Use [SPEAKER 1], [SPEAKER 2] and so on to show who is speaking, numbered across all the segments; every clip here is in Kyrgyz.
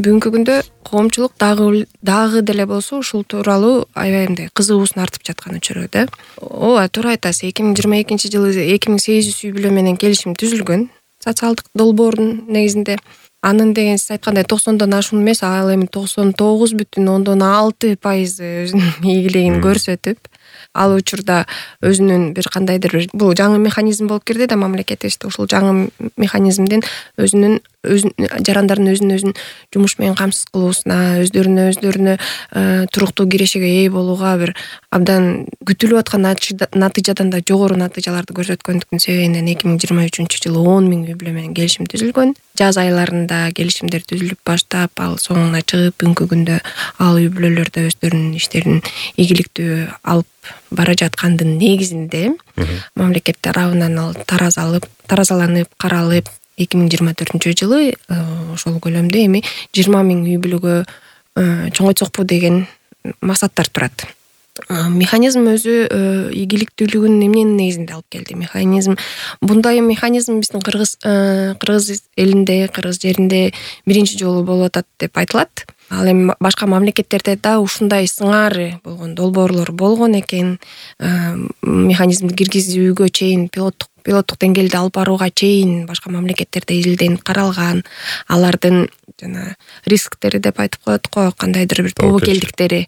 [SPEAKER 1] Бүгүнкү күндө коомчулук дагы деле болсо ушул тууралуу аябай мындай кызыгуусун артып жаткан учуру да. Ооба, туура айтасыз. 2022-жылы 2800 үй бүлө менен келишим түзүлгөн социалдык долбоордун негизинде. Анын деген сиз айткандай 90дон ашуун эмес, ал эми 99,6% өзүнүн ийгилигин көрсөтүп, ал учурда өзүнүн бир кандайдыр бир бул жаңы механизм болуп кирди да мамлекетибизде. Ушул жаңы механизмдин жарандардын өзүн жумуш менен камсыз кылуусуна, өздөрүнө туруктуу кирешеге ээ болууга бир абдан күтүлүп аткан натыйжадан да жогору натыйжаларды көрсөткөндүктүн себебинен 2023-жылы 10 000 үй бүлө менен келишим түзүлгөн. Жаз айларында келишимдер түзүлүп баштап, ал соңуна чыгып, бүгүнкү күндө ал үй бүлөлөрдө өздөрүнүн иштерин ийгиликтүү алып бара жаткандын негизинде мамлекет тарабынан ал таразаланып, каралып 2024-жылы ошол көлөмдө эми 20 000 үй бүлөгө чоңойтсокпу деген максаттар турат. Механизм өзү ийгиликтүүлүгүн эмненин негизинде алып келди? Мындай механизм биздин кыргыз элинде, кыргыз жеринде биринчи жолу болуп атат деп айтылат. Ал эми башка мамлекеттерде да ушундай сыңары болгон долбоорлор болгон экен. Механизмди киргизүүгө чейин пилоттук деңгээлде алып барууга чейин башка мамлекеттерде изилденип каралган. Алардын жана рисктери деп айтып коет го, кандайдыр бир тобокелдиктери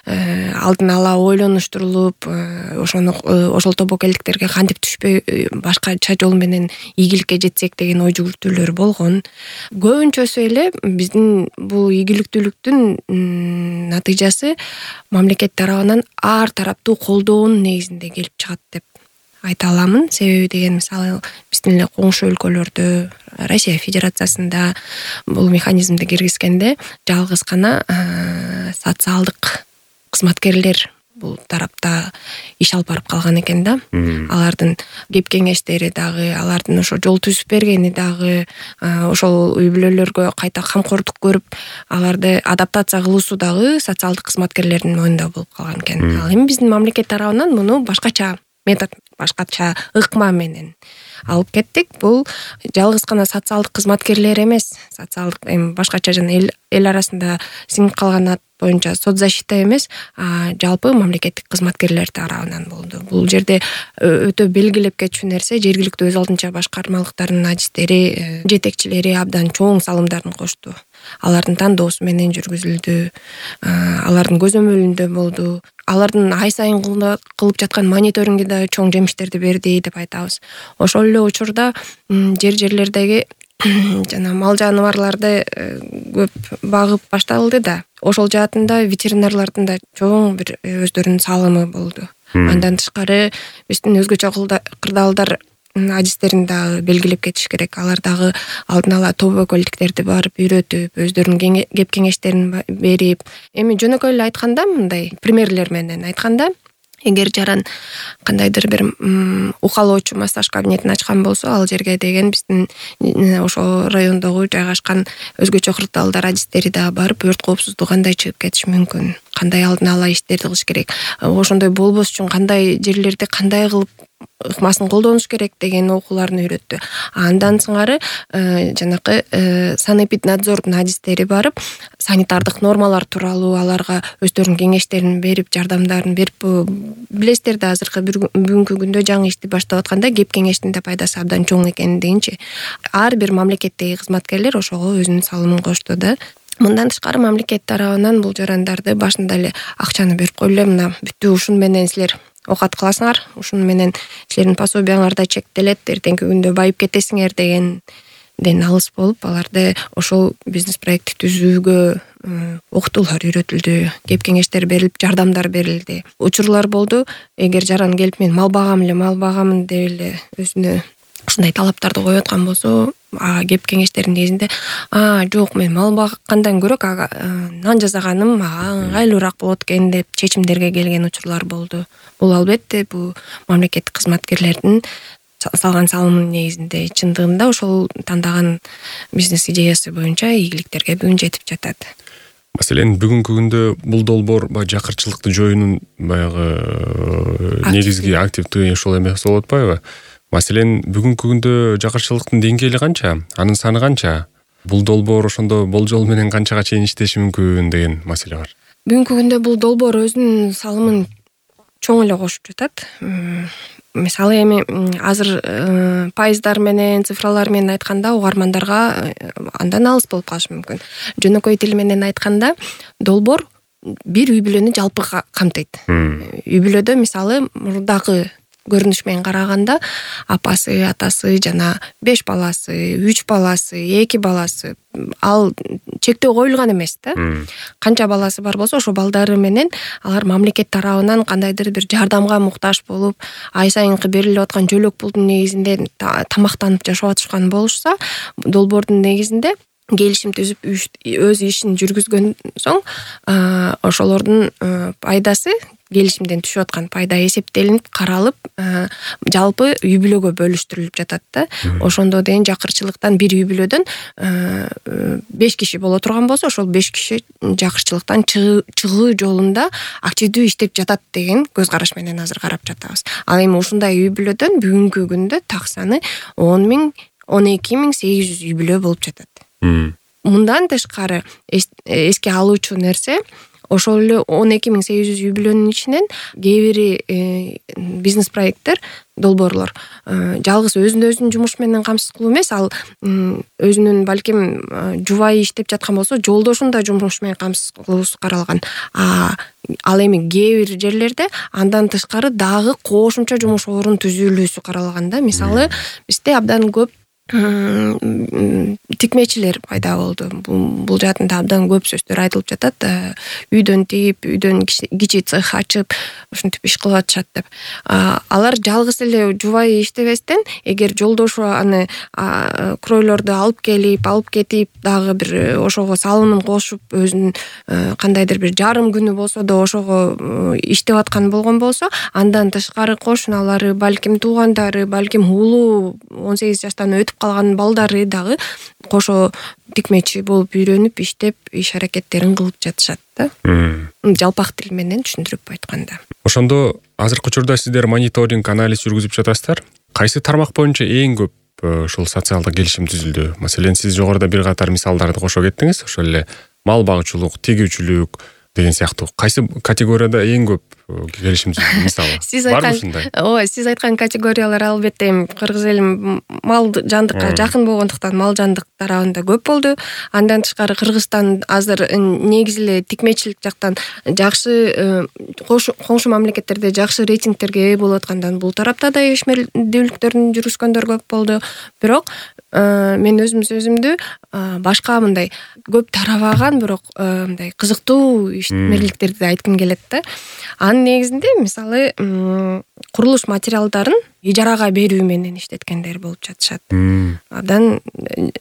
[SPEAKER 1] алдын ала ойлонуштурулуп, ошол тобокелдиктерге кантип түшпөй башкача жол менен ийгиликке жетсек деген ой жүгүртүүлөр болгон. Көбүнчөсү эле биздин бул ийгиликтүүлүктүн натыйжасы мамлекет тарабынан ар тараптуу колдоонун негизинде келип чыгат деп айта аламын. Себеби деген мисалы биздин эле коңшу өлкөлөрдө, Россия Федерациясында бул механизмди киргизгенде жалгыз гана социалдык кызматкерлер бул тарапта иш алып барып калган экен да. Алардын кеп кеңештери дагы, алардын ошо жол түзүп бергени дагы, ошол үй бүлөлөргө кайта камкордук көрүп, аларды адаптация кылуусу дагы социалдык кызматкерлердин мойнунда болуп калган экен. Ал эми биздин мамлекет тарабынан муну башкача метод, башкача ыкма менен алып кеттик. Бул жалгыз гана социалдык кызматкерлер эмес, социалдык эми башкача жана эл арасында сиңип калган ат боюнча соцзащита эмес, жалпы мамлекеттик кызматкерлер тарабынан болду. Бул жерде өтө белгилеп кетчү нерсе, жергиликтүү өз алдынча башкармалыктардын адистери, жетекчилери абдан чоң салымдарын кошту. Алардын тандоосу менен жүргүзүлдү, алардын көзөмөлүндө болду. Алардын ай сайын кылып жаткан мониторинги да чоң жемиштерди берди деп айтабыз. Ошол эле учурда жерлердеги жана мал жаныбарларды көп багып башталды да. Ошол жаатында ветеринарлардын да чоң бир өздөрүнүн салымы болду. Андан тышкары биздин өзгөчө кырдаалдар адистерин дагы белгилеп кетиш керек. Алар дагы алдын ала тобокелдиктерди барып үйрөтүп, өздөрүнүн кеп кеңештерин берип, эми жөнөкөй эле айтканда, мындай примерлер менен айтканда, эгер жаран кандайдыр бир укалоочу массаж кабинетин ачкан болсо, ал жерге деген биздин ошол райондогу жайгашкан өзгөчө кырдаалдар адистери дагы барып өрт коопсуздугу кандай чыгып кетиш мүмкүн, кандай алдын ала иштерди кылыш керек, ошондой болбош үчүн кандай жерлерде кандай кылып ыкмасын колдонуш керек деген окууларын үйрөттү. Андан сыңары жанакы санэпиднадзордун адистери барып, санитардык нормалар тууралуу аларга өздөрүнүн кеңештерин берип, жардамдарын берип, билесиздер да азыркы бүгүнкү күндө жаңы ишти баштап атканда кеп кеңештин да пайдасы абдан чоң экендигинчи. Ар бир мамлекеттеги кызматкерлер ошого өзүнүн салымын кошту да. Мындан тышкары мамлекет тарабынан бул жарандарды башында эле акчаны берип койлу, мына бүттү, ушун менен силер окат кыласыңар, ушун менен силердин пособияңарда чектелет, эртеңки күндө байып кетесиңер дегенден алыс болуп, аларды ошол бизнес проекти түзүүгө окутуулар үйрөтүлдү, кеп кеңештер берилип, жардамдар берилди. Учурлар болду, эгер жаран келип мен мал багамын деп эле өзүнө ушундай талаптарды коюп аткан болсо, кеп кеңештердин негизинде жок, мен мал багкандан көрө нан жасаганым мага ыңгайлуураак болот экен деп чечимдерге келген учурлар болду. Бул албетте бул мамлекеттик кызматкерлердин салган салымынын негизинде чындыгында ошол тандаган бизнес идеясы боюнча ийгиликтерге бүгүн жетип жатат.
[SPEAKER 2] Маселен, бүгүнкү күндө бул долбоор жакырчылыкты жоюунун баягы негизги активдүү ошол эмес болуп атпайбы? Маселен, бүгүнкү күндө жакырчылыктын деңгээли канча? Анын саны канча? Бул долбоор ошондо болжол менен канчага чейин иштеши мүмкүн деген маселе бар.
[SPEAKER 1] Бүгүнкү күндө бул долбоор өзүнүн салымын чоң эле кошуп жатат. Мисалы эми азыр пайыздар менен, цифралар менен айтканда угармандарга андан алыс болуп калышы мүмкүн. Жөнөкөй тил менен айтканда долбоор бир үй бүлөнү жалпы камтыйт. Үй бүлөдө мисалы мурдагы көрүнүш менен караганда апасы, атасы жана 5 баласы, 3 баласы, 2 баласы ал чектөө коюлган эмес да. Канча баласы бар болсо ошо балдары менен алар мамлекет тарабынан кандайдыр бир жардамга муктаж болуп, ай сайынкы берилип аткан жөлөк пулдун негизинде тамактанып жашап атышкан болушса, долбоордун негизинде келишим түзүп өз ишин жүргүзгөн соң ошолордун пайдасы келишимден түшүп аткан пайда эсептелинип каралып, жалпы үй бүлөгө бөлүштүрүлүп жатат да. Ошондо деген жакырчылыктан бир үй бүлөдөн 5 киши боло турган болсо, ошол 5 киши жакырчылыктан чыгуу жолунда активдүү иштеп жатат деген көз караш менен азыр карап жатабыз. Ал эми ушундай үй бүлөдөн бүгүнкү күндө так саны 12.800 үй бүлө болуп жатат. Мындан тышкары эске алуучу нерсе, ошол эле 12.800 үй бүлөнүн ичинен кээ бири бизнес проекттер, долбоорлор жалгыз өзүн жумуш менен камсыз кылуу эмес, ал өзүнүн балким жубайы иштеп жаткан болсо, жолдошун да жумуш менен камсыз кылуусу каралган. Ал эми кээ бир жерлерде андан тышкары дагы кошумча жумуш орун түзүлүүсү каралган да. Мисалы, бизде абдан көп тикмечилер пайда болду. Бул жаатында абдан көп сөздөр айтылып жатат. Үйдөн тигип, үйдөн кичи цех ачып, ушинтип иш кылып атышат деп. Алар жалгыз эле жубайы иштебестен, эгер жолдошу аны кройлорду алып кетип, дагы бир ошого салымын кошуп, өзүнүн кандайдыр бир жарым күнү болсо да ошого иштеп аткан болгон болсо, андан тышкары кошуналары, балким туугандары, балким улуу 18 жаштан өтүп калган балдары дагы кошо тикмечи болуп үйрөнүп, иштеп, иш аракеттерин кылып жатышат да. Жалпак тил менен түшүндүрүп айтканда.
[SPEAKER 2] Ошондо азыркы учурда сиздер мониторинг, анализ жүргүзүп жатасыздар. Кайсы тармак боюнча эң көп ушул социалдык келишим түзүлдү? Маселен, сиз жогоруда бир катар мисалдарды кошо кеттиңиз. Ошол эле мал багуучулук, тигүүчүлүк деген сыяктуу. Кайсы категорияда эң көп келишим түзүлдү, мисалы? Барбы ушундай?
[SPEAKER 1] Ооба, сиз айткан категориялар албетте эми кыргыз эли мал жандыкка жакын болгондуктан мал жандык тарабында көп болду. Андан тышкары Кыргызстан азыр негизи эле тикмечилик жактан жакшы коңшу мамлекеттерде жакшы рейтингтерге ээ болуп аткандан бул тарапта да ишмердүүлүктөрүн жүргүзгөндөр көп болду. Бирок мен өзүмдү башка мындай көп тарабаган, бирок мындай кызыктуу ишмерликтерди айткым келет да. Анын негизинде мисалы курулуш материалдарын ижарага берүү менен иштеткендер болуп жатышат. Абдан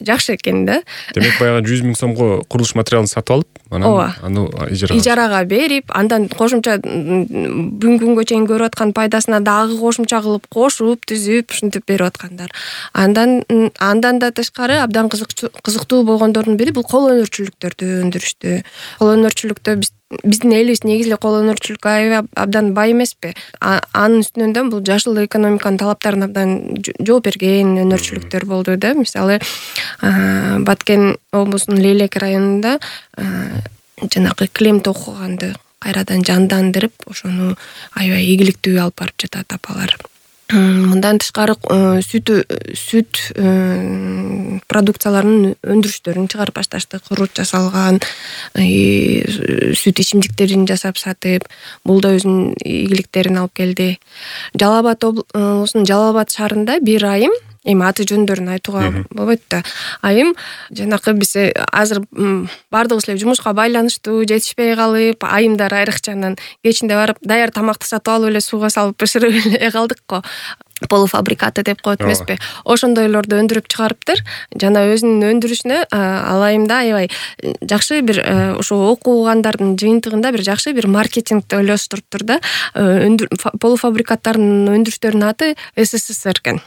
[SPEAKER 1] жакшы экен да.
[SPEAKER 2] Демек баягы 100 000 сомго курулуш материалын сатып алып, анан аны
[SPEAKER 1] ижарага берип, андан кошумча бүгүнкү күнгө чейин көрүп аткан пайдасына дагы кошумча кылып кошуп, түзүп, ушинтип берип аткандар. Андан да тышкары абдан кызыктуу болгондордун бири бул кол өнөрчүлүктөрдү өндүрүштү. Кол өнөрчүлүктө биздин элибиз негизи эле кол өнөрчүлүккө абдан бай эмеспи? Анын үстүнөн да бул жашыл экономиканын талаптарына абдан жооп берген өнөрчүлүктөр болду да. Мисалы, Баткен облусунун Лейлек районунда жанагы клем токуганды кайрадан жандандырып, ошону аябай ийгиликтүү алып барып жатат апалар. Мындан тышкары сүт продукцияларынын өндүрүштөрүн чыгарып башташты. Курут жасалган сүт ичимдиктерин жасап сатып, бул да өзүнүн ийгиликтерин алып келди. Жалал облусунун Жалал Абад шаарында бир айым, эми аты жөндөрүн айтууга болбойт да. Айым жанакы биз азыр бардыгыбыз эле жумушка байланыштуу, жетишпей калып, айымдар айрыкчанан кечинде барып даяр тамакты сатып алып эле сууга салып бышырып эле калдык го. Полуфабрикаты деп коет эмеспи? Ошондойлорду өндүрүп чыгарыптыр. Жана өзүнүн өндүрүшүнө ал айымда аябай жакшы бир ошо окугандардын жыйынтыгында бир жакшы бир маркетингди ойлоштуруптур да. Полуфабрикаттардын өндүрүштөрүнүн аты СССР экен.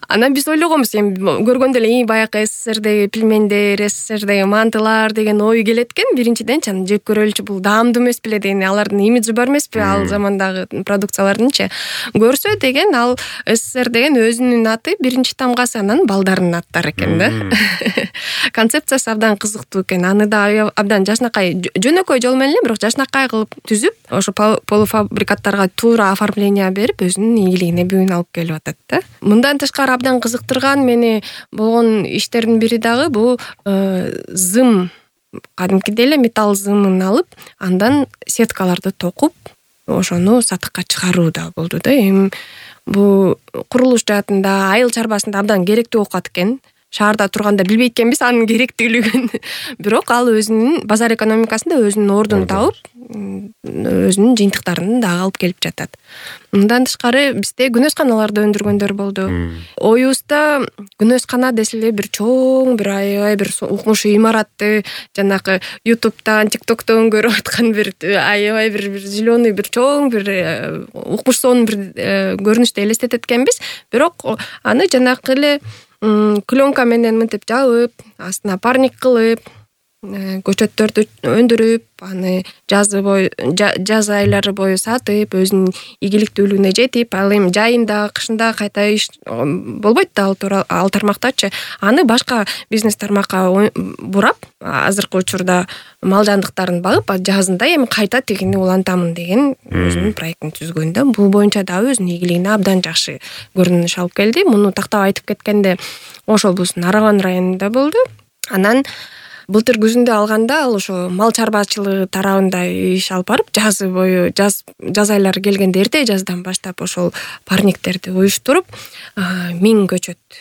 [SPEAKER 1] Анан биз ойлогонбуз, эми көргөндө эле баягы СССРдеги пельмендер, СССРдеги мантылар деген ой келет экен. Биринчиден чын жеп көрөлүчү, бул даамдуу эмес беле деген, алардын имиджи бар эмеспи ал замандагы продукциялардынчы. Көрсө деген ал СССР деген өзүнүн аты биринчи тамгасы, анан балдарынын аттары экен да. Концепциясы абдан кызыктуу экен. Аны да абдан жашнакай, жөнөкөй жол менен эле, бирок жашнакай кылып түзүп, ошо полуфабрикаттарга туура оформление берип, өзүнүн ийгилигине бүгүн алып келип атат да. Мындан тышкары абдан кызыктырган мени болгон иштердин бири дагы бул зым, кадимкидей эле металл зымын алып, андан сеткаларды токуп, ошону сатыкка чыгаруу да болду да. Эми бул курулуш жаатында, айыл чарбасында абдан керектүү окуат экен. Шаарда турганда билбейт экенбиз анын керектүүлүгүн. Бирок ал өзүнүн базар экономикасында өзүнүн ордун тауып, өзүнүн жыйынтыктарын дагы алып келип жатат. Мындан тышкары бизде күнөс каналарды өндүргөндөр болду. Оюбузда күнөс кана десе эле бир чоң, бир аябай бир укмуш имаратты, жанагы YouTube'дан, TikTok'тон көрүп аткан бир аябай бир зеленый, бир чоң, бир укмуш сонун бир көрүнүштү элестетет экенбиз. Бирок аны жанагы эле пленка менен мынтип жабып, астына парник кылып, көчөттөрдү өндүрүп, аны жаз айлары бою сатып, өзүнүн ийгиликтүүлүгүнө жетип, ал эми жайында, кышында кайта иш болбойт да ал тармактачы. Аны башка бизнес тармакка бурап, азыркы учурда мал жандыктарын багып, жазында эми кайта тигини улантамын деген өзүнүн проектин түзгөн да. Бул боюнча дагы өзүнүн ийгилигине абдан жакшы көрүнүш алып келди. Муну тактап айтып кеткенде Ошолбуздун Араган районунда болду. Анан былтыр күзүндө алганда ал ошо мал чарбачылыгы тарабында иш алып барып, жазы бою, жаз айлары келгенде эрте жаздан баштап ошол парниктерди уюштуруп, 1000 көчөт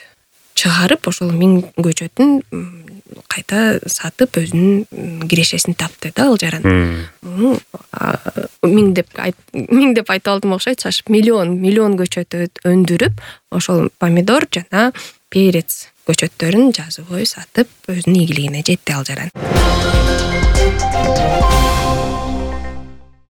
[SPEAKER 1] чыгарып, ошол 1000 көчөтүн кайта сатып, өзүнүн кирешесин тапты да ал жаран. 1000 деп айтып алдым окшойт, шашып миллион көчөт өндүрүп, ошол помидор жана перец көчөттөрүн жазы бою сатып, өзүнүн ийгилигине жетти ал жаран.